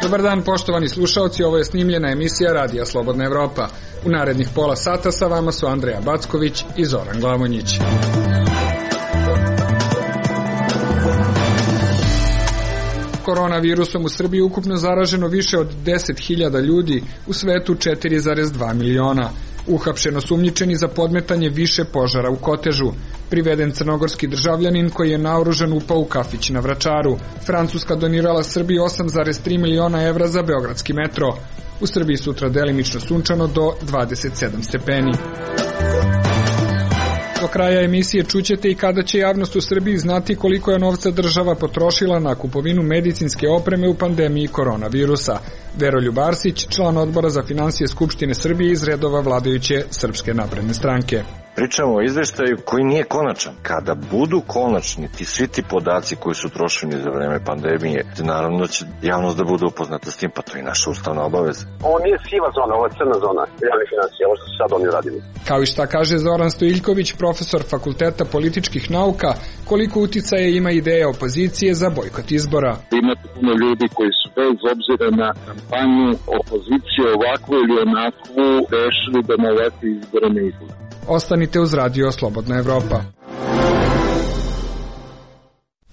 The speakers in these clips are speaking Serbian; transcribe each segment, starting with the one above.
Dobar dan, poštovani slušaoci, ovo je snimljena emisija Radija Slobodna Evropa. U narednih pola sata sa vama su Andreja Backović i Zoran Glavonjić. Koronavirusom u Srbiji ukupno zaraženo više od 10.000 ljudi, u svetu 4,2 miliona. Uhapšen osumnjičeni za podmetanje više požara u Kotežu. Priveden crnogorski državljanin koji je naoružan upao u kafić na Vračaru. Francuska donirala Srbiji 8,3 miliona evra za beogradski metro. U Srbiji sutra delimično sunčano do 27 stepeni. Do kraja emisije čućete i kada će javnost u Srbiji znati koliko je novca država potrošila na kupovinu medicinske opreme u pandemiji koronavirusa. Veroljub Arsić, član odbora za finansije Skupštine Srbije iz redova vladajuće Srpske napredne stranke. Pričamo o izveštaju koji nije konačan. Kada budu konačni svi ti podaci koji su trošeni za vreme pandemije, naravno da će javnost da bude upoznata s tim, pa to je naša ustavna obaveza. Ovo nije siva zona, ovo je crna zona javnih finansija, ovo što su sad oni radili. Kao i šta kaže Zoran Stojiljković, profesor Fakulteta političkih nauka, koliko uticaja ima ideja opozicije za bojkot izbora. Imate puno ljudi koji su bez obzira na kampanju opozicije ovakvu ili onakvu rešili da na ovakve izbore ne izbore. Ostanite uz Radio Slobodna Evropa.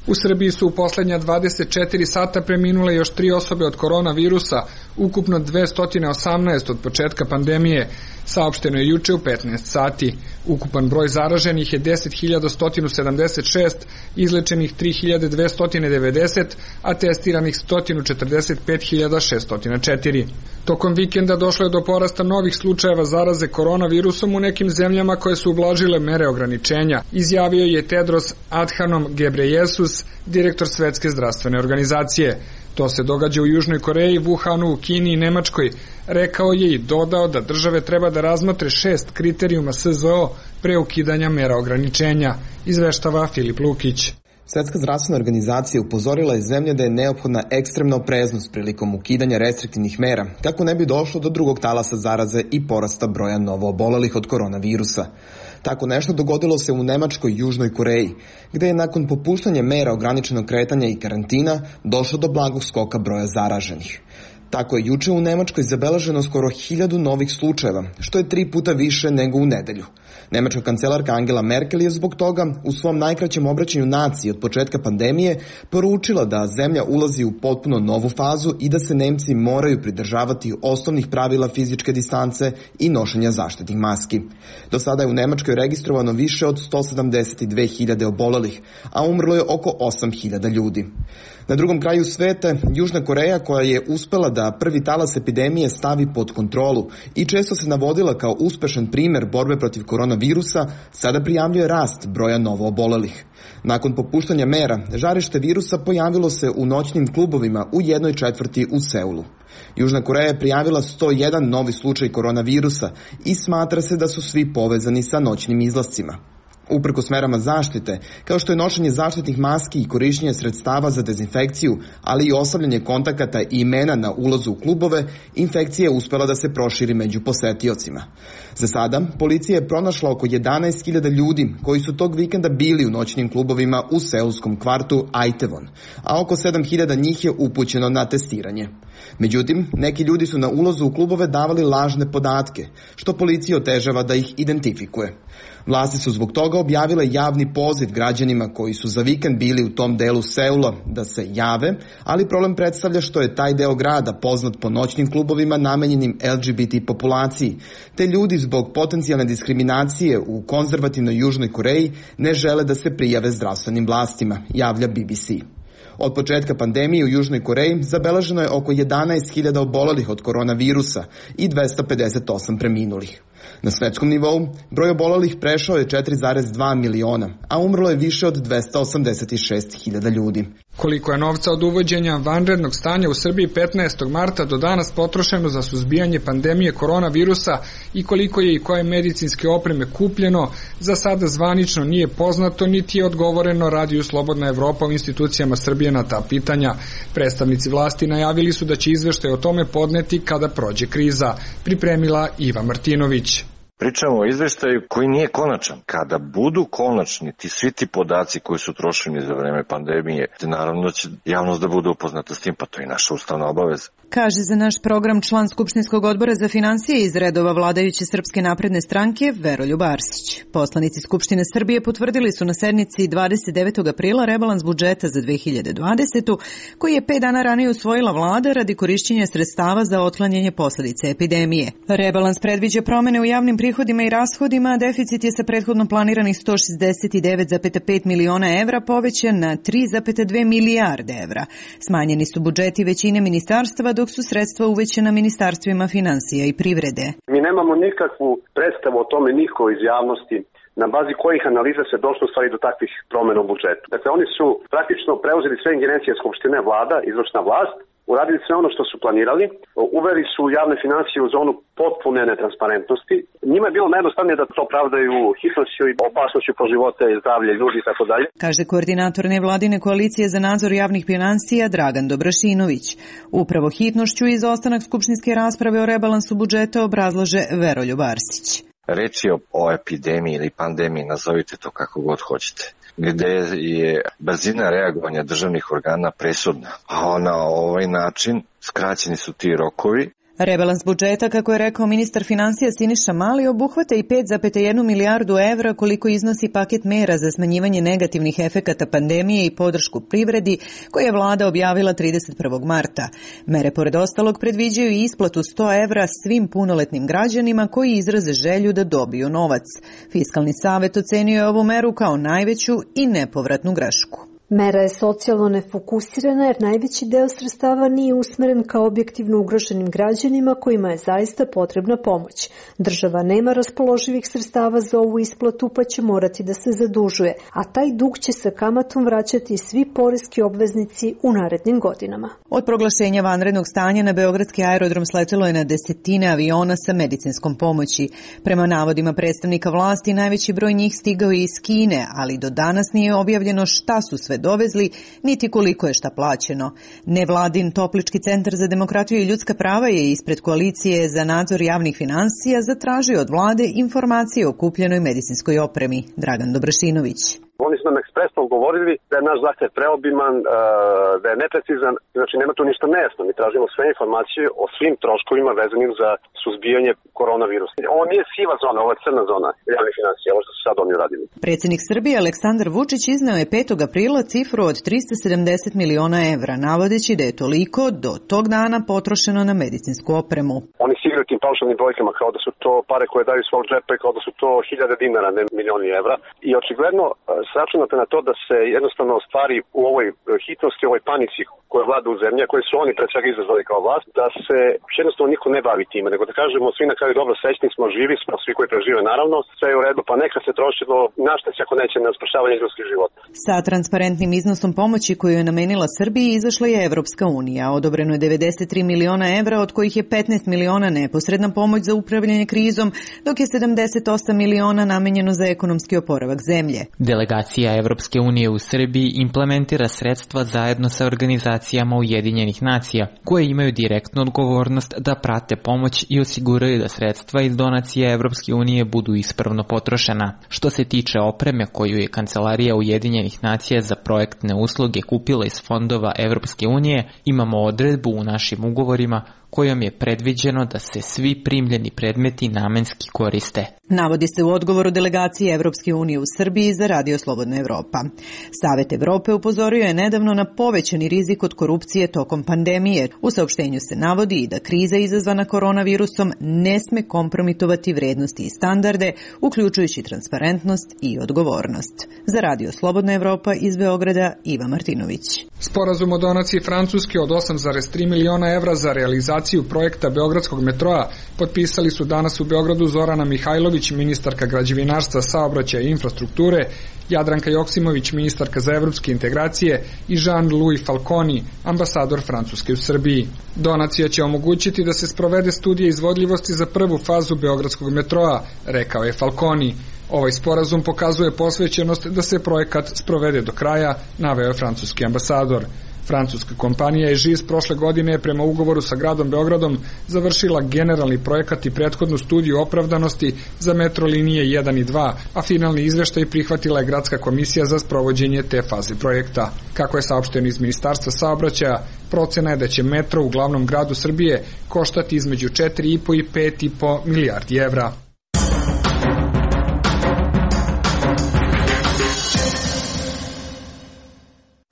U Srbiji su u poslednja 24 sata preminule još 3 osobe od koronavirusa, ukupno 218 od početka pandemije, saopšteno je juče u 15 sati. Ukupan broj zaraženih je 10.176, izlečenih 3.290, a testiranih 145.604. Tokom vikenda došlo je do porasta novih slučajeva zaraze koronavirusom u nekim zemljama koje su ublažile mere ograničenja, izjavio je Tedros Adhanom Ghebreyesus, direktor Svetske zdravstvene organizacije. To se događa u Južnoj Koreji, Wuhanu, u Kini i Nemačkoj. Rekao je i dodao da države treba da razmotre 6 kriterijuma SZO pre ukidanja mera ograničenja, izveštava Filip Lukić. Svetska zdravstvena organizacija upozorila je zemlje da je neophodna ekstremna opreznost prilikom ukidanja restriktivnih mera, kako ne bi došlo do drugog talasa zaraze i porasta broja novoobolelih od koronavirusa. Tako nešto dogodilo se u Nemačkoj i Južnoj Koreji, gde je nakon popuštanja mera ograničenog kretanja i karantina došlo do blagog skoka broja zaraženih. Tako je juče u Nemačkoj zabeleženo skoro 1000 novih slučajeva, što je 3 puta više nego u nedelju. Nemačka kancelarka Angela Merkel je zbog toga u svom najkraćem obraćanju naciji od početka pandemije poručila da zemlja ulazi u potpuno novu fazu i da se Nemci moraju pridržavati osnovnih pravila fizičke distance i nošenja zaštitnih maski. Do sada je u Nemačkoj registrovano više od 172.000 obolelih, a umrlo je oko 8.000 ljudi. Na drugom kraju sveta, Južna Koreja, koja je uspela da prvi talas epidemije stavi pod kontrolu i često se navodila kao uspešan primer borbe protiv koronavirusa, sada prijavljuje rast broja novoobolelih. Nakon popuštanja mera, žarište virusa pojavilo se u noćnim klubovima u 1/4 u Seulu. Južna Koreja je prijavila 101 novi slučaj koronavirusa i smatra se da su svi povezani sa noćnim izlascima. Uprkos merama zaštite, kao što je nošenje zaštitnih maski i korišćenje sredstava za dezinfekciju, ali i ostavljanje kontakata i imena na ulazu u klubove, infekcija je uspela da se proširi među posetiocima. Za sada, policija je pronašla oko 11.000 ljudi koji su tog vikenda bili u noćnim klubovima u seulskom kvartu Aitevon, a oko 7.000 njih je upućeno na testiranje. Međutim, neki ljudi su na ulazu u klubove davali lažne podatke, što policija otežava da ih identifikuje. Vlasti su zbog toga objavile javni poziv građanima koji su za vikend bili u tom delu Seula da se jave, ali problem predstavlja što je taj deo grada poznat po noćnim klubovima namenjenim LGBT populaciji, te ljudi zbog potencijalne diskriminacije u konzervativnoj Južnoj Koreji ne žele da se prijave zdravstvenim vlastima, javlja BBC. Od početka pandemije u Južnoj Koreji zabeleženo je oko 11.000 obolelih od koronavirusa i 258 preminulih. Na svetskom nivou broj obolelih prešao je 4,2 miliona, a umrlo je više od 286.000 ljudi. Koliko je novca od uvođenja vanrednog stanja u Srbiji 15. marta do danas potrošeno za suzbijanje pandemije koronavirusa i koliko je i koje medicinske opreme kupljeno, za sada zvanično nije poznato niti je odgovoreno Radiju Slobodna Evropa u institucijama Srbije na ta pitanja. Predstavnici vlasti najavili su da će izveštaj o tome podneti kada prođe kriza, pripremila Iva Martinović. Pričamo o izveštaju koji nije konačan. Kada budu konačni svi ti podaci koji su trošeni za vreme pandemije, naravno da će javnost da bude upoznata s tim, pa to je naša ustavna obaveza. Kaže za naš program član Skupštinskog odbora za finansije iz redova vladajuće Srpske napredne stranke Veroljub Arsić. Poslanici Skupštine Srbije potvrdili su na sednici 29. aprila rebalans budžeta za 2020. koji je 5 dana ranije usvojila vlada radi korišćenja sredstava za otklanjanje posledica epidemije. Rebalans predviđa promene u javnim prihodima i rashodima, a deficit je sa prethodno planiranih 169,5 miliona evra povećan na 3,2 milijarde evra. Smanjeni su budžeti većine ministarstva, dok su sredstva uvećana ministarstvima finansija i privrede. Mi nemamo nikakvu predstavu o tome, niko iz javnosti, na bazi kojih analiza se došlo stvari do takvih promena u budžetu. Dakle, oni su praktično preuzeli sve ingerencije Skupštine, vlada, izvršna vlast, uradili sve ono što su planirali, uveli su javne finansije u zonu potpune netransparentnosti. Njima je bilo najjednostavnije da to pravdaju hitnošću i opasnošću po živote i zdravlje ljudi i tako dalje. Kaže koordinator nevladine koalicije za nadzor javnih finansija Dragan Dobrašinović. Upravo hitnošću i izostanak skupštinske rasprave o rebalansu budžeta obrazlaže Veroljub Arsić. Reč je o epidemiji ili pandemiji, nazovite to kako god hoćete, gde je brzina reagovanja državnih organa presudna, a na ovaj način skraćeni su ti rokovi. Rebalans budžeta, kako je rekao ministar finansija Siniša Mali, obuhvata i 5,1 milijardu evra koliko iznosi paket mera za smanjivanje negativnih efekata pandemije i podršku privredi koje je vlada objavila 31. marta. Mere pored ostalog predviđaju i isplatu 100 evra svim punoletnim građanima koji izraze želju da dobiju novac. Fiskalni savet ocenio je ovu meru kao najveću i nepovratnu grešku. Mera je socijalno nefokusirana jer najveći deo sredstava nije usmeren ka objektivno ugroženim građanima kojima je zaista potrebna pomoć. Država nema raspoloživih sredstava za ovu isplatu pa će morati da se zadužuje, a taj dug će sa kamatom vraćati svi poreski obveznici u narednim godinama. Od proglašenja vanrednog stanja na beogradski aerodrom sletelo je na desetine aviona sa medicinskom pomoći. Prema navodima predstavnika vlasti, najveći broj njih stigao je iz Kine, ali do danas nije objavljeno šta su sve dovezli, niti koliko je šta plaćeno. Nevladin Toplički centar za demokratiju i ljudska prava je ispred koalicije za nadzor javnih finansija zatražio od vlade informacije o kupljenoj medicinskoj opremi. Dragan Dobrašinović. Oni su nam ekspresno govorili da je naš zahtev preobiman, da je neprecizan, znači nema tu ništa nejasno. Mi tražimo sve informacije o svim troškovima vezanim za suzbijanje koronavirusa. Ovo nije siva zona, ovo je crna zona javnih finansija, ovo što su sad oni uradili. Predsjednik Srbije Aleksandar Vučić izneo je 5. aprila cifru od 370 miliona evra, navodeći da je toliko do tog dana potrošeno na medicinsku opremu. Oni se igraju tim paušalnim brojkama kao da su to pare koje daju svog džepa i kao da su to 1000 dinara, ne milioni evra. I očigledno sračunate na to da se jednostavno stvari u ovoj hitnosti, u ovoj panici koja vlada u zemlji, koje su oni pred svega izazvali kao vlast, da se jednostavno niko ne bavi time, nego da kažemo svi na kraju dobro, srećni smo, živi smo, svi koji prežive naravno, sve je u redu, pa neka se troši do našta se ako neće na spašavanje ljudskih života. Sa transparentnim iznosom pomoći koju je namenila Srbiji izašla je Evropska unija. Odobreno je 93 miliona evra, od kojih je 15 miliona neposredna pomoć za upravljanje krizom, dok je 78 miliona namenjeno za ekonomski oporavak zemlje. Delegacija Evropske unije u Srbiji implementira sredstva zajedno sa organizacijama Ujedinjenih nacija, koje imaju direktnu odgovornost da prate pomoć i osiguraju da sredstva iz donacije Evropske unije budu ispravno potrošena. Što se tiče opreme koju je Kancelarija Ujedinjenih nacija za projektne usluge kupila iz fondova Evropske unije, imamo odredbu u našim ugovorima kojom je predviđeno da se svi primljeni predmeti namenski koriste. Navodi se u odgovoru delegacije Evropske unije u Srbiji za Radio Slobodna Evropa. Savet Evrope upozorio je nedavno na povećani rizik od korupcije tokom pandemije. U saopštenju se navodi i da kriza izazvana koronavirusom ne sme kompromitovati vrednosti i standarde, uključujući transparentnost i odgovornost. Za Radio Slobodna Evropa iz Beograda, Iva Martinović. Sporazum o donaciji Francuske od 8,3 miliona evra za realizaciju projekta Beogradskog metroa potpisali su danas u Beogradu Zorana Mihajlović, ministarka građevinarstva, saobraćaja i infrastrukture, Jadranka Joksimović, ministarka za evropske integracije i Jean-Louis Falconi, ambasador Francuske u Srbiji. Donacija će omogućiti da se sprovede studija izvodljivosti za prvu fazu Beogradskog metroa, rekao je Falconi. Ovaj sporazum pokazuje posvećenost da se projekat sprovede do kraja, naveo je francuski ambasador. Francuska kompanija EGIS prošle godine prema ugovoru sa gradom Beogradom završila generalni projekat i prethodnu studiju opravdanosti za metro linije 1 i 2, a finalni izveštaj prihvatila je Gradska komisija za sprovođenje te faze projekta. Kako je saopšteno iz Ministarstva saobraćaja, procena je da će metro u glavnom gradu Srbije koštati između 4,5 i 5,5 milijardi evra.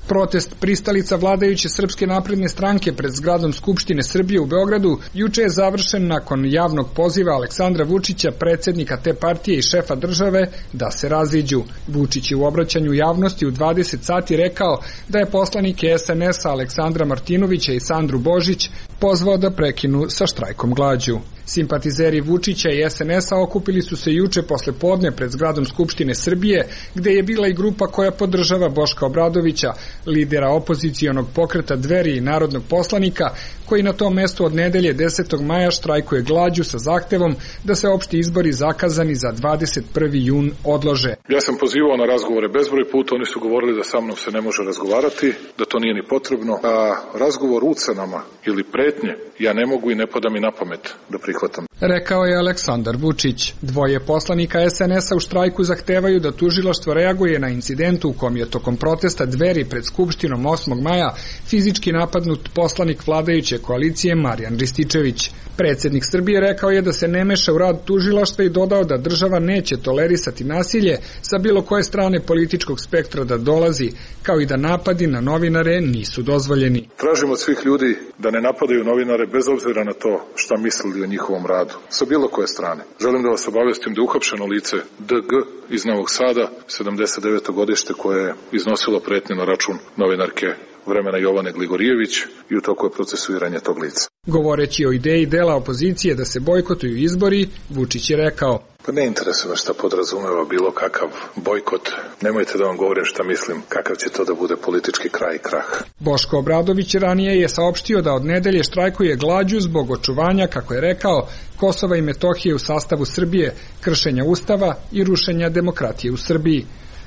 Protest pristalica vladajuće Srpske napredne stranke pred zgradom Skupštine Srbije u Beogradu juče je završen nakon javnog poziva Aleksandra Vučića, predsjednika te partije i šefa države, da se raziđu. Vučić je u obraćanju javnosti u 20 sati rekao da je poslanike SNS-a Aleksandra Martinovića i Sandru Božić pozvao da prekinu sa štrajkom glađu. Simpatizeri Vučića i SNS-a okupili su se juče posle podne pred zgradom Skupštine Srbije, gde je bila i grupa koja podržava Boška Obradovića, lidera opozicionog pokreta Dveri i narodnog poslanika, koji na tom mestu od nedelje 10. maja štrajkuje glađu sa zahtevom da se opšti izbori zakazani za 21. jun odlože. Ja sam pozivao na razgovore bezbroj puta, oni su govorili da sa mnom se ne može razgovarati, da to nije ni potrebno, a razgovor ucenama ili pretnje ja ne mogu i ne pada mi na pamet da prihvatam. Rekao je Aleksandar Vučić. Dvoje poslanika SNS-a u štrajku zahtevaju da tužilaštvo reaguje na incidentu u kom je tokom protesta Dveri pred Skupštinom 8. maja fizički napadnut poslanik vladajuće koalicije Marijan Rističević. Predsjednik Srbije rekao je da se ne meša u rad tužilaštva i dodao da država neće tolerisati nasilje sa bilo koje strane političkog spektra da dolazi, kao i da napadi na novinare nisu dozvoljeni. Tražimo od svih ljudi da ne napadaju novinare bez obzira na to šta mislili o njihovom radu, sa bilo koje strane. Želim da vas obavestim da je uhapšeno lice DG iz Novog Sada, 79. godište, koje je iznosilo pretnje na račun novinarke vremena Jovane Gligorijević i u toku je procesuiranje tog lica. Govoreći o ideji dela opozicije da se bojkotuju izbori, Vučić je rekao: Pa ne interesuje šta podrazumeva bilo kakav bojkot. Nemojte da vam govorim šta mislim, kakav će to da bude politički kraj i krah. Boško Obradović ranije je saopštio da od nedelje štrajkuje glađu zbog očuvanja, kako je rekao, Kosova i Metohije u sastavu Srbije, kršenja Ustava i rušenja demokratije u Srbiji.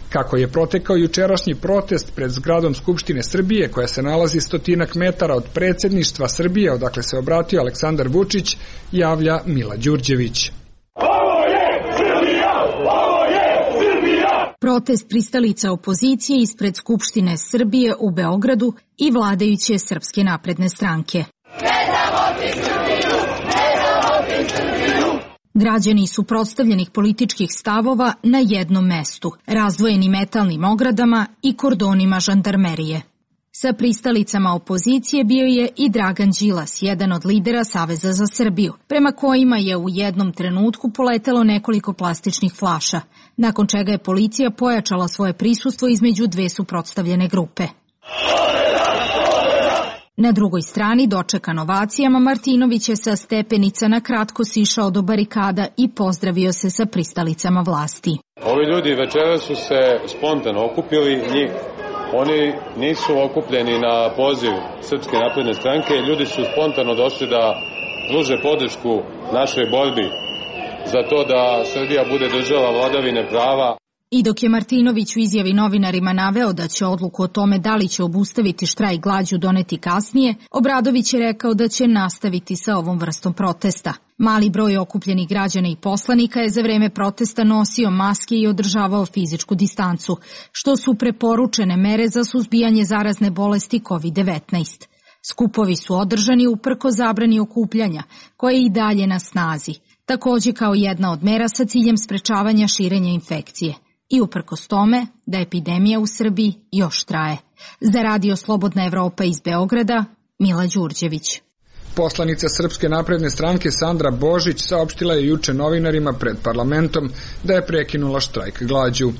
Kako je protekao jučerašnji protest pred zgradom Skupštine Srbije, koja se nalazi 100 metara od predsjedništva Srbije, odakle se obratio Aleksandar Vučić, javlja Mila Đurđević. Protest pristalica opozicije ispred Skupštine Srbije u Beogradu i vladajuće Srpske napredne stranke. Građani suprotstavljenih političkih stavova na jednom mestu, razdvojeni metalnim ogradama i kordonima žandarmerije. Sa pristalicama opozicije bio je i Dragan Đilas, jedan od lidera Saveza za Srbiju, prema kojima je u jednom trenutku poletelo nekoliko plastičnih flaša, nakon čega je policija pojačala svoje prisustvo između dve suprotstavljene grupe. Na drugoj strani, dočekan ovacijama, Martinović je sa stepenica na kratko sišao do barikada i pozdravio se sa pristalicama vlasti. Ovi ljudi večera su se spontano okupili, oni nisu okupljeni na poziv Srpske napredne stranke, ljudi su spontano došli da pruže podršku našoj borbi za to da Srbija bude država vladavine prava. I dok je Martinović u izjavi novinarima naveo da će odluku o tome da li će obustaviti štrajk glađu doneti kasnije, Obradović je rekao da će nastaviti sa ovom vrstom protesta. Mali broj okupljenih građana i poslanika je za vreme protesta nosio maske i održavao fizičku distancu, što su preporučene mere za suzbijanje zarazne bolesti COVID-19. Skupovi su održani uprkos zabrani okupljanja, koja je i dalje na snazi, takođe kao jedna od mera sa ciljem sprečavanja širenja infekcije. I uprkos tome da epidemija u Srbiji još traje. Za Radio Slobodna Evropa iz Beograda, Mila Đurđević. Poslanica Srpske napredne stranke Sandra Božić saopštila je juče novinarima pred parlamentom da je prekinula štrajk glađu.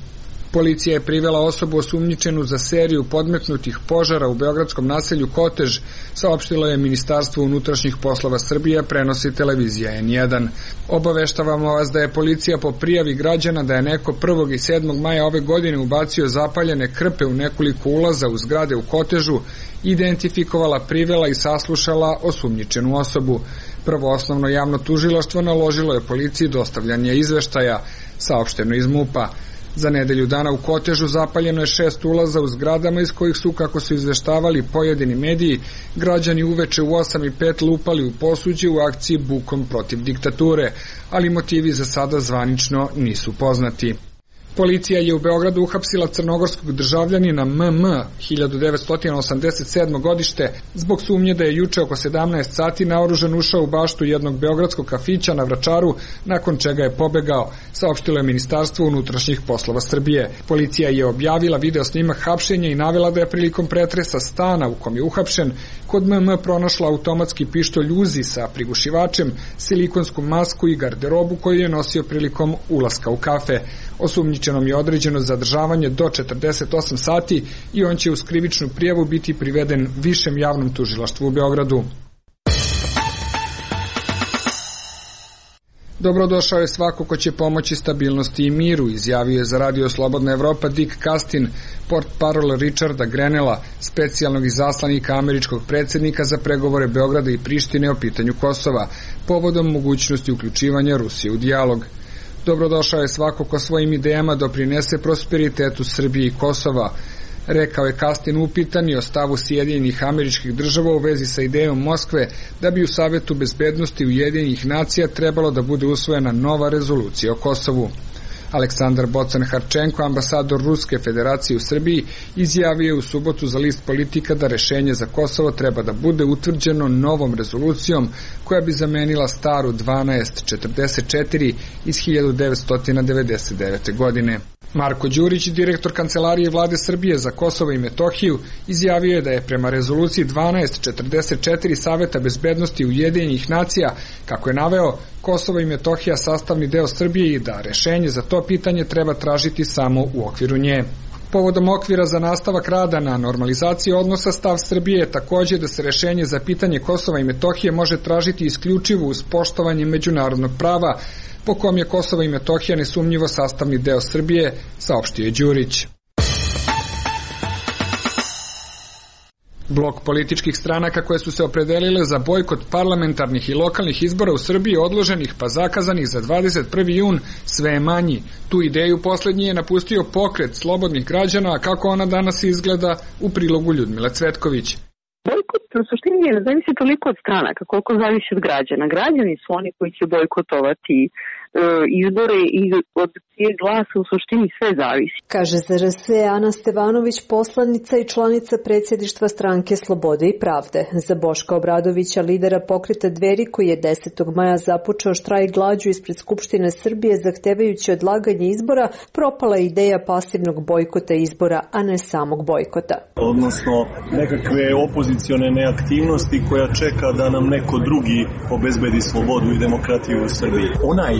Policija je privela osobu osumnjičenu za seriju podmetnutih požara u beogradskom naselju Kotež, saopštilo je Ministarstvo unutrašnjih poslova Srbije, prenosi televizija N1. Obaveštavamo vas da je policija po prijavi građana da je neko 1. i 7. maja ove godine ubacio zapaljene krpe u nekoliko ulaza u zgrade u Kotežu, identifikovala, privela i saslušala osumnjičenu osobu. Prvo osnovno javno tužilaštvo naložilo je policiji dostavljanje izveštaja, saopšteno iz MUP-a. Za nedelju dana u Kotežu zapaljeno je 6 ulaza u zgradama iz kojih su, kako su izveštavali pojedini mediji, građani uveče u 8:05 lupali u posuđe u akciji Bukom protiv diktature, ali motivi za sada zvanično nisu poznati. Policija je u Beogradu uhapsila crnogorskog državljanina MM 1987. godište zbog sumnje da je juče oko 17 sati naoružan ušao u baštu jednog beogradskog kafića na Vračaru, nakon čega je pobegao, saopštilo je Ministarstvo unutrašnjih poslova Srbije. Policija je objavila video snimak hapšenja i navela da je prilikom pretresa stana u kom je uhapšen kod MM pronašla automatski pištolj Uzi sa prigušivačem, silikonsku masku i garderobu koju je nosio prilikom ulaska u kafe. Osumnjičenom je određeno zadržavanje do 48 sati i on će uz krivičnu prijavu biti priveden Višem javnom tužilaštvu u Beogradu. Dobrodošao je svako ko će pomoći stabilnosti i miru, izjavio je za Radio Slobodna Evropa Dick Castin, portparol Richarda Grenella, specijalnog izaslanika američkog predsjednika za pregovore Beograda i Prištine o pitanju Kosova, povodom mogućnosti uključivanja Rusije u dijalog. Dobrodošao je svako ko svojim idejama doprinese prosperitetu Srbije i Kosova, rekao je Castin upitani o stavu Sjedinjenih Američkih Država u vezi sa idejom Moskve da bi u Savetu bezbednosti Ujedinjenih nacija trebalo da bude usvojena nova rezolucija o Kosovu. Aleksandar Bocan-Harčenko, ambasador Ruske federacije u Srbiji, izjavio je u subotu za list Politika da rešenje za Kosovo treba da bude utvrđeno novom rezolucijom koja bi zamenila staru 1244 iz 1999. godine. Marko Đurić, direktor Kancelarije Vlade Srbije za Kosovo i Metohiju, izjavio je da je prema rezoluciji 1244 Saveta bezbednosti Ujedinjenih nacija, kako je naveo, Kosovo i Metohija sastavni deo Srbije i da rešenje za to pitanje treba tražiti samo u okviru nje. Povodom okvira za nastavak rada na normalizaciji odnosa, stav Srbije je takođe da se rešenje za pitanje Kosova i Metohije može tražiti isključivo uz poštovanje međunarodnog prava, po kom je Kosovo i Metohija nesumnjivo sastavni deo Srbije, saopštio je Đurić. Blok političkih stranaka koje su se opredelile za bojkot parlamentarnih i lokalnih izbora u Srbiji odloženih pa zakazanih za 21. jun sve je manji. Tu ideju poslednji je napustio Pokret slobodnih građana, a kako ona danas izgleda u prilogu Ljudmile Cvetković. Bojkot u suštini ne zavisi toliko od stranaka koliko zavisi od građana. Građani su oni koji će bojkotovati izbore i od čijeg glasa u suštini sve zavisi. Kaže za RS Ana Stevanović, poslanica i članica predsjedništva stranke Slobode i pravde. Za Boška Obradovića, lidera pokreta Dveri, koji je 10. maja započeo štrajk glađu ispred Skupštine Srbije zahtevajući odlaganje izbora, propala ideja pasivnog bojkota izbora, a ne samog bojkota. Odnosno nekakve opozicione neaktivnosti koja čeka da nam neko drugi obezbedi slobodu i demokratiju u Srbiji. Onaj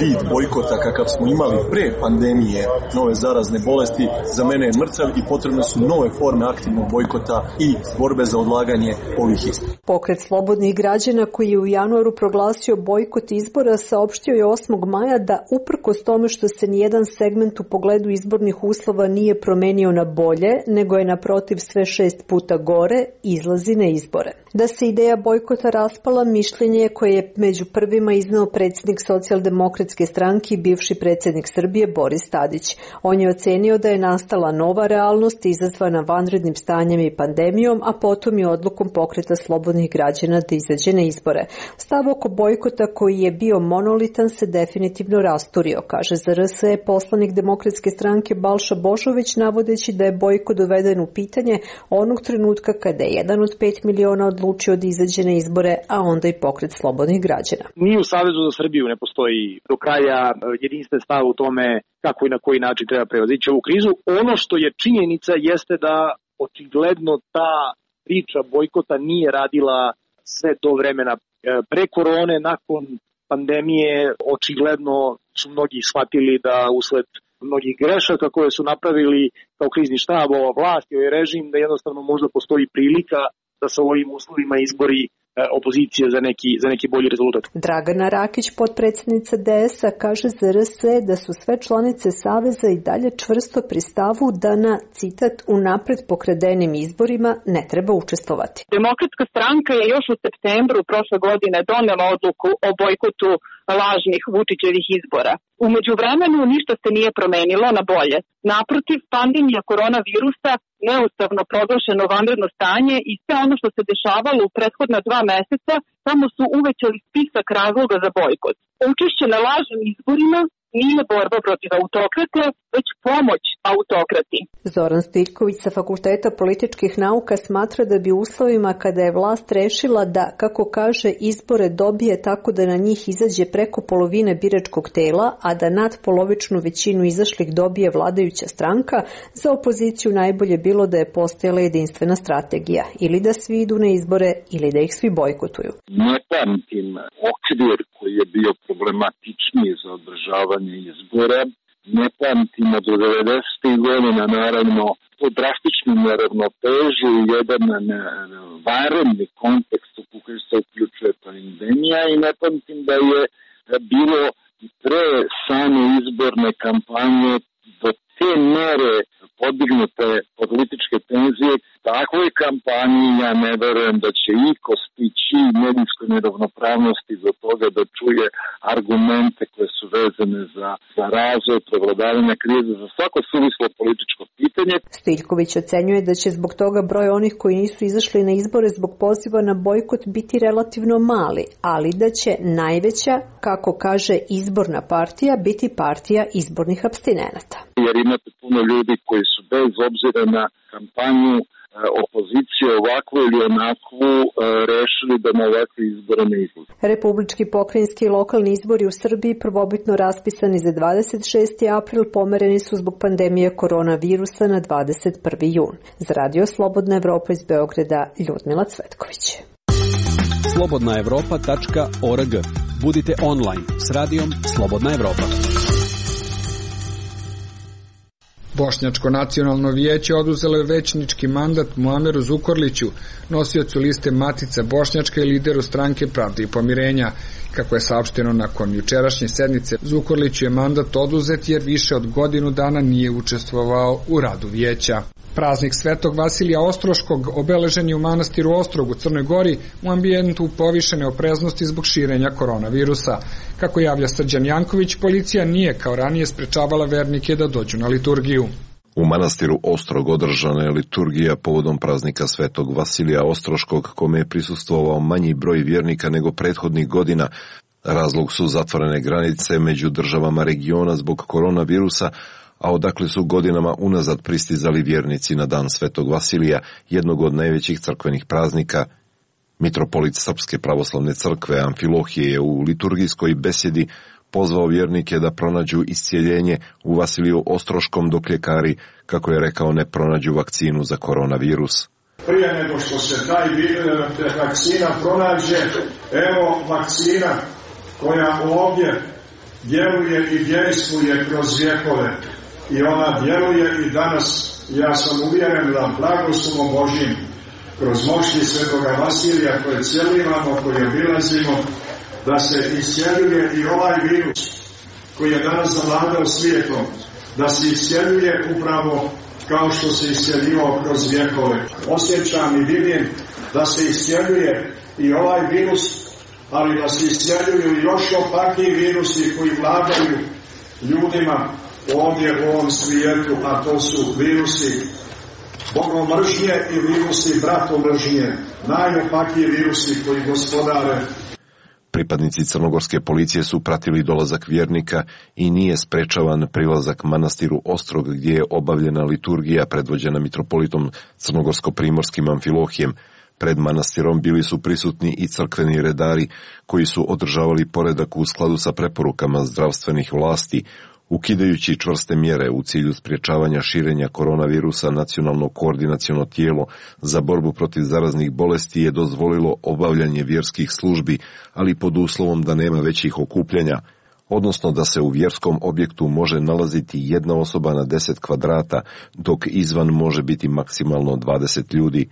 vid bojkota kakav smo imali pre pandemije nove zarazne bolesti za mene je mrtav i potrebne su nove forme aktivnog bojkota i borbe za odlaganje ovih izbora. Pokret slobodnih građana koji je u januaru proglasio bojkot izbora saopštio je 8. maja da uprkos tome što se nijedan segment u pogledu izbornih uslova nije promenio na bolje, nego je naprotiv sve 6 puta gore, izlazi na izbore. Da se ideja bojkota raspala, mišljenje koje je među prvima izneo predsjednik Socijaldemokratske stranke i bivši predsjednik Srbije Boris Tadić. On je ocenio da je nastala nova realnost izazvana vanrednim stanjem i pandemijom, a potom i odlukom pokreta slobodnih građana da izađe na izbore. Stav oko bojkota koji je bio monolitan se definitivno rasturio, kaže za RS poslanik Demokratske stranke Balša Bošović, navodeći da je bojkot doveden u pitanje onog trenutka kada je jedan od 5 miliona odlučio da izađe na izbore, a onda i pokret slobodnih građana. Ni u Savezu za Srbiju ne postoji do kraja jedinstven stav u tome kako i na koji način treba prevazići ovu krizu. Ono što je činjenica jeste da očigledno ta priča bojkota nije radila sve do vremena pre korone. Nakon pandemije očigledno su mnogi shvatili da usled mnogih grešaka koje su napravili kao krizni štab, ova vlast i ovaj režim, da jednostavno možda postoji prilika da sa ovim uslovima izbori opozicije za neki bolji rezultat. Dragana Rakić, potpredsjednica DS-a, kaže za RS da su sve članice Saveza i dalje čvrsto pri stavu da na, citat, unapred pokradenim izborima ne treba učestvovati. Demokratska stranka je još u septembru prošle godine donela odluku o bojkotu lažnih Vučićevih izbora. U međuvremenu ništa se nije promenilo na bolje. Naprotiv, pandemija koronavirusa, neustavno proglašeno vanredno stanje i sve ono što se dešavalo u prethodna 2 meseca samo su uvećali spisak razloga za bojkot. Učešće na lažnim izborima nije borba protiv autokrata, već pomoć autokrati. Zoran Stiljković sa Fakulteta političkih nauka smatra da bi u uslovima kada je vlast rešila da, kako kaže, izbore dobije tako da na njih izađe preko polovine biračkog tela, a da nadpolovičnu većinu izašlih dobije vladajuća stranka, za opoziciju najbolje bilo da je postojala jedinstvena strategija, ili da svi idu na izbore, ili da ih svi bojkotuju. Ne pamtim okvir koji je bio problematičniji za održavanje izbora. Ne pamtim od 90. godina, naravno, to drastičnu neravnotežu i jedan vanredni kontekst u koji se uključuje pandemija i ne pamtim da je bilo pre same izborne kampanje do te mere podignute političke tenzije. Takvoj kampanji ja ne verujem da će iko stići medijskoj neravnopravnosti do toga da čuje argumente koje su vezane za razvoj, prevladavanje krize, za svako suvislo političko pitanje. Stiljković ocenjuje da će zbog toga broj onih koji nisu izašli na izbore zbog poziva na bojkot biti relativno mali, ali da će najveća, kako kaže izborna partija, biti partija izbornih apstinenata. Jer imate puno ljudi koji su bez obzira na kampanju opozicije ovakvu ili onakvu rešili da na ovakve izbore ne izlaze. Republički, pokrajinski i lokalni izbori u Srbiji prvobitno raspisani za 26. april pomereni su zbog pandemije koronavirusa na 21. jun. Za Radio Slobodna Evropa iz Beograda, Ljudmila Cvetković. slobodnaevropa.org. Budite online s radijom Slobodna Evropa. Bošnjačko nacionalno vijeće oduzelo je većnički mandat Muameru Zukorliću, nosiocu liste Matica Bošnjačka i lideru stranke Pravde i pomirenja. Kako je saopšteno nakon jučerašnje sednice, Zukorliću je mandat oduzet jer više od godinu dana nije učestvovao u radu vijeća. Praznik Svetog Vasilija Ostroškog obeležen je u manastiru Ostrog u Crnoj Gori u ambijentu povišene opreznosti zbog širenja koronavirusa. Kako javlja Srđan Janković, policija nije kao ranije sprečavala vernike da dođu na liturgiju. U manastiru Ostrog održana je liturgija povodom praznika Svetog Vasilija Ostroškog, kome je prisustvovao manji broj vjernika nego prethodnih godina. Razlog su zatvorene granice među državama regiona zbog koronavirusa, a odakle su godinama unazad pristizali vjernici na dan Svetog Vasilija, jednog od najvećih crkvenih praznika. Mitropolit Srpske pravoslavne crkve Amfilohije je u liturgijskoj besedi pozvao vjernike da pronađu iscijeljenje u Vasiliju Ostroškom dok ljekari, kako je rekao, ne pronađu vakcinu za koronavirus. Prije nego što se taj vakcina pronađe, evo vakcina koja ovdje djeluje i djeluje kroz vjekove. I ona djeluje i danas. Ja sam uvjeren da blagoslovom Božjim kroz moći Svetoga Vasilija koje cijelivamo, koje obilazimo, da se iscijeljuje i ovaj virus koji je danas zavladao svijetom, da se iscijeljuje upravo kao što se iscijeljivao kroz vjekove. Osjećam i vidim da se iscijeljuje i ovaj virus, ali da se iscijeljuju i još opakiji virusi koji vladaju ljudima ovdje u ovom svijetu, a to su virusi bogomržnje i virusi bratomržnje, najopakiji virusi koji gospodare. Pripadnici crnogorske policije su pratili dolazak vjernika i nije sprečavan prilazak manastiru Ostrog gdje je obavljena liturgija predvođena mitropolitom crnogorsko-primorskim Amfilohijem. Pred manastirom bili su prisutni i crkveni redari koji su održavali poredak u skladu sa preporukama zdravstvenih vlasti. Ukidajući čvrste mjere u cilju sprječavanja širenja koronavirusa, Nacionalno koordinaciono tijelo za borbu protiv zaraznih bolesti je dozvolilo obavljanje vjerskih službi, ali pod uslovom da nema većih okupljanja, odnosno da se u vjerskom objektu može nalaziti jedna osoba na 10 kvadrata, dok izvan može biti maksimalno 20 ljudi.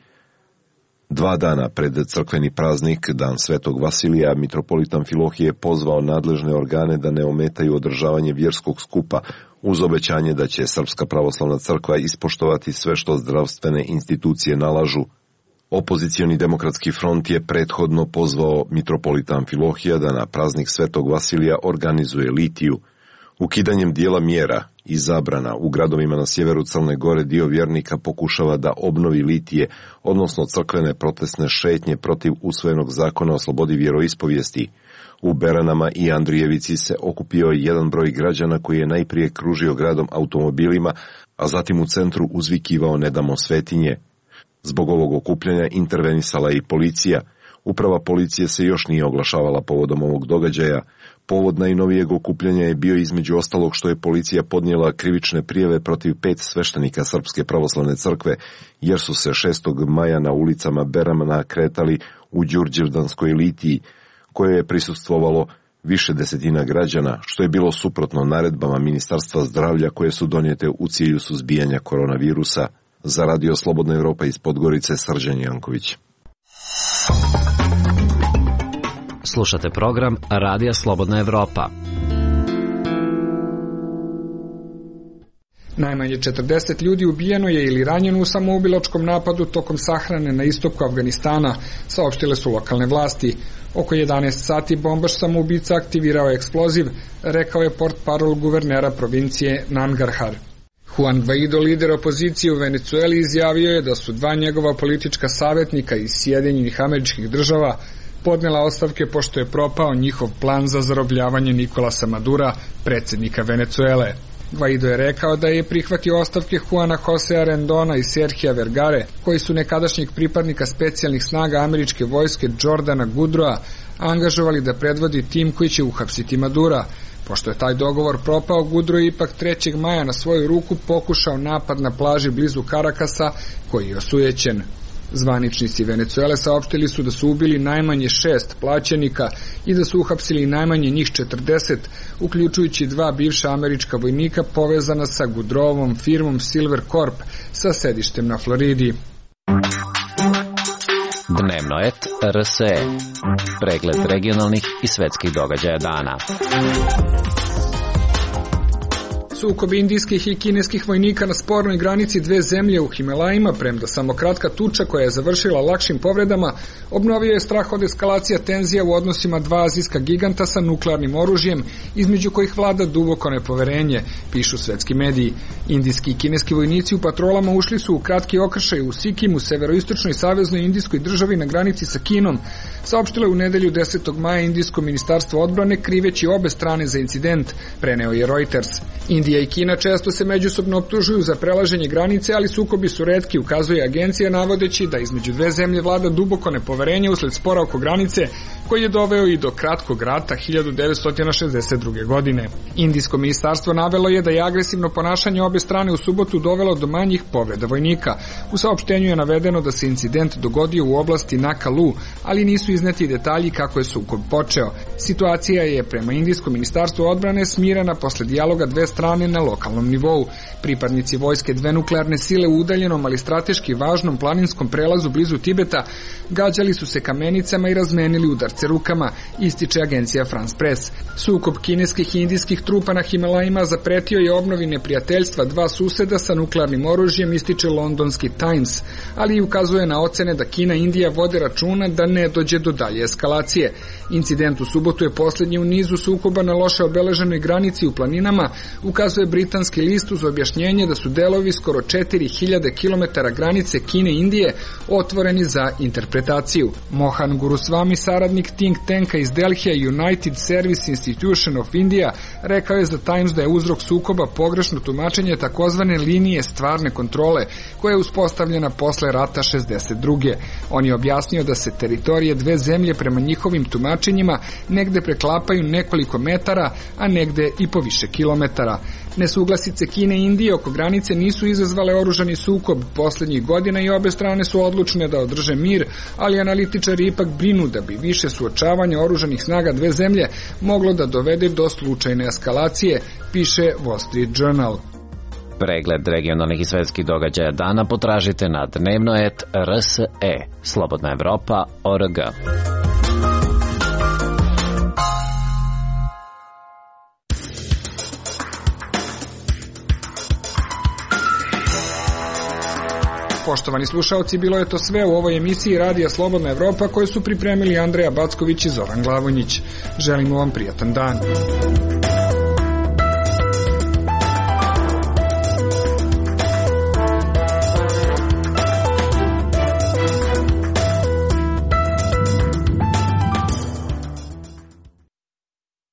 2 dana pred crkveni praznik, dan Svetog Vasilija, mitropolit Amfilohije je pozvao nadležne organe da ne ometaju održavanje vjerskog skupa, uz obećanje da će Srpska pravoslavna crkva ispoštovati sve što zdravstvene institucije nalažu. Opozicioni demokratski front je prethodno pozvao mitropolita Amfilohija da na praznik Svetog Vasilija organizuje litiju. Ukidanjem dijela mjera i zabrana u gradovima na sjeveru Crne Gore dio vjernika pokušava da obnovi litije, odnosno crkvene protestne šetnje protiv usvojenog zakona o slobodi vjeroispovijesti. U Beranama i Andrijevici se okupio jedan broj građana koji je najprije kružio gradom automobilima, a zatim u centru uzvikivao "Ne damo svetinje". Zbog ovog okupljanja intervenisala i policija. Uprava policije se još nije oglašavala povodom ovog događaja. Povod najnovijeg okupljanja je bio između ostalog što je policija podnijela krivične prijave protiv 5 sveštenika Srpske pravoslavne crkve, jer su se 6. maja na ulicama Berana kretali u Đurđevdanskoj litiji, koje je prisustvovalo više desetina građana, što je bilo suprotno naredbama Ministarstva zdravlja koje su donijete u cilju suzbijanja koronavirusa. Za Radio Slobodna Evropa iz Podgorice, Srđan Janković. Slušate program Radija Slobodna Evropa. Najmanje 40 ljudi ubijeno je ili ranjeno u samoubilačkom napadu tokom sahrane na istoku Afganistana, saopštile su lokalne vlasti. Oko 11 sati bombaš samoubica aktivirao eksploziv, rekao je portparol guvernera provincije Nangarhar. Juan Guaido, lider opozicije u Venecueli, izjavio je da su 2 njegova politička savjetnika iz Sjedinjenih Američkih Država podnela ostavke pošto je propao njihov plan za zarobljavanje Nikolasa Madura, predsjednika Venecuele. Guaido je rekao da je prihvatio ostavke Juana Josea Rendona i Serhija Vergare, koji su nekadašnjeg pripadnika specijalnih snaga američke vojske Jordana Goodroa angažovali da predvodi tim koji će uhapsiti Madura. Pošto je taj dogovor propao, Goodrow je ipak 3. maja na svoju ruku pokušao napad na plaži blizu Karakasa, koji je osujećen. Zvaničnici Venecuele saopštili su da su ubili najmanje 6 plaćenika i da su uhapsili najmanje njih 40, uključujući 2 bivša američka vojnika povezana sa Goodrowovom firmom Silver Corp sa sedištem na Floridi. Dnevnoet RSE. Pregled regionalnih i svetskih događaja dana. Sukob indijskih i kineskih vojnika na spornoj granici 2 zemlje u Himalajima, premda samo kratka tuča koja je završila lakšim povredama, obnovio je strah od eskalacija tenzija u odnosima 2 azijska giganta sa nuklearnim oružjem, između kojih vlada duboko nepoverenje, pišu svetski mediji. Indijski i kineski vojnici u patrolama ušli su u kratki okršaj u Sikimu, severoistočnoj saveznoj indijskoj državi na granici sa Kinom, saopštilo je u nedelju 10. maja indijsko ministarstvo odbrane, kriveći obe strane za incident, preneo je Reuters. Indija i Kina često se međusobno optužuju za prelaženje granice, ali sukobi su retki, ukazuje agencija, navodeći da između 2 zemlje vlada duboko nepoverenje usled spora oko granice, koji je doveo i do kratkog rata 1962. godine. Indijsko ministarstvo navelo je da je agresivno ponašanje obe strane u subotu dovelo do manjih povreda vojnika. U saopštenju je navedeno da se incident dogodio u oblasti Nakalu, ali nisu izneti detalji kako je sukob počeo. Situacija je prema indijskom ministarstvu odbrane smirena posle dijaloga 2 strane na lokalnom nivou. Pripadnici vojske 2 nuklearne sile u udaljenom, ali strateški važnom planinskom prelazu blizu Tibeta gađali su se kamenicama i razmenili udarce rukama, ističe agencija France Press. Sukob kineskih i indijskih trupa na Himalajima zapretio je obnovi neprijateljstva 2 suseda sa nuklearnim oružjem, ističe londonski Times, ali i ukazuje na ocene da Kina i Indija vode računa da ne dođe do dalje eskalacije. Incident u subotu je posljednji u nizu sukoba na loše obeleženoj granici u planinama, ukazuje britanski list uz objašnjenje da su delovi skoro 4000 km granice Kine i Indije otvoreni za interpretaciju. Mohan Guruswamy, saradnik think tanka iz Delhija United Service Institution of India, rekao je za Times da je uzrok sukoba pogrešno tumačenje takozvane linije stvarne kontrole, koja je uspostavljena posle rata 62. On je objasnio da se teritorije 2 zemlje prema njihovim tumačenjima negde preklapaju nekoliko metara, a negde i po više kilometara. Nesuglasice Kine i Indije oko granice nisu izazvale oružani sukob poslednjih godina i obe strane su odlučne da održe mir, ali analitičari ipak brinu da bi više suočavanja oružanih snaga 2 zemlje moglo da dovede do slučajne eskalacije, piše Wall Street Journal. Pregled regionalnih i svetskih događaja dana potražite na dnevnoet RSE, Slobodna Evropa.org. Poštovani slušaoci, bilo je to sve u ovoj emisiji Radija Slobodna Evropa koju su pripremili Andreja Backović i Zoran Glavonjić. Želimo vam prijatan dan.